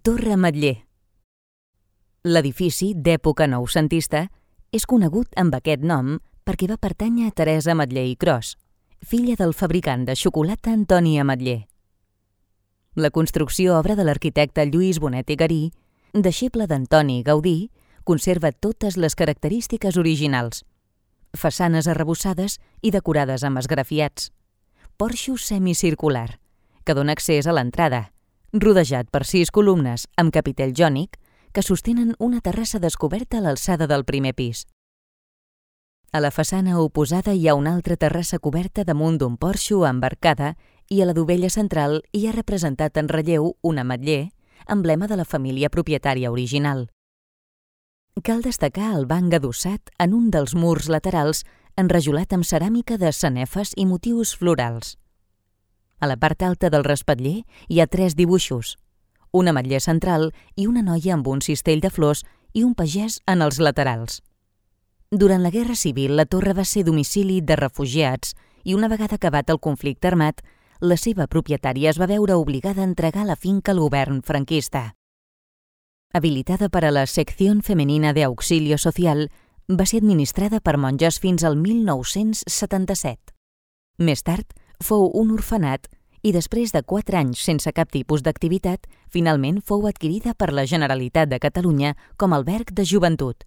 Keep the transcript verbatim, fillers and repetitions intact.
Torre Ametller. L'edifici, d'època noucentista, és conegut amb aquest nom perquè va pertànyer a Teresa Ametller i Cros, filla del fabricant de xocolata Antoni Ametller. La construcció, obra de l'arquitecte Lluís Bonet i Garí, deixeble d'Antoni Gaudí, conserva totes les característiques originals. Façanes arrebossades i decorades amb esgrafiats. Porxo semicircular, que dona accés a l'entrada, rodejat per sis columnes amb capitell jònic que sostenen una terrassa descoberta a l'alçada del primer pis. A la façana oposada hi ha una altra terrassa coberta damunt d'un porxo amb arcada i a la dovella central hi ha representat en relleu un ametller, emblema de la família propietària original. Cal destacar el banc adossat en un dels murs laterals enrajolat amb ceràmica de sanefes i motius florals. A la part alta del respatller hi ha tres dibuixos, un ametller central i una noia amb un cistell de flors i un pagès en els laterals. Durant la Guerra Civil, la torre va ser domicili de refugiats i una vegada acabat el conflicte armat, la seva propietària es va veure obligada a entregar la finca al govern franquista. Habilitada per a la Sección Femenina de Auxilio Social, va ser administrada per monges fins al mil nou-cents setanta-set. Més tard, fou un orfenat i després de quatre anys sense cap tipus d'activitat, finalment fou adquirida per la Generalitat de Catalunya com a alberg de joventut.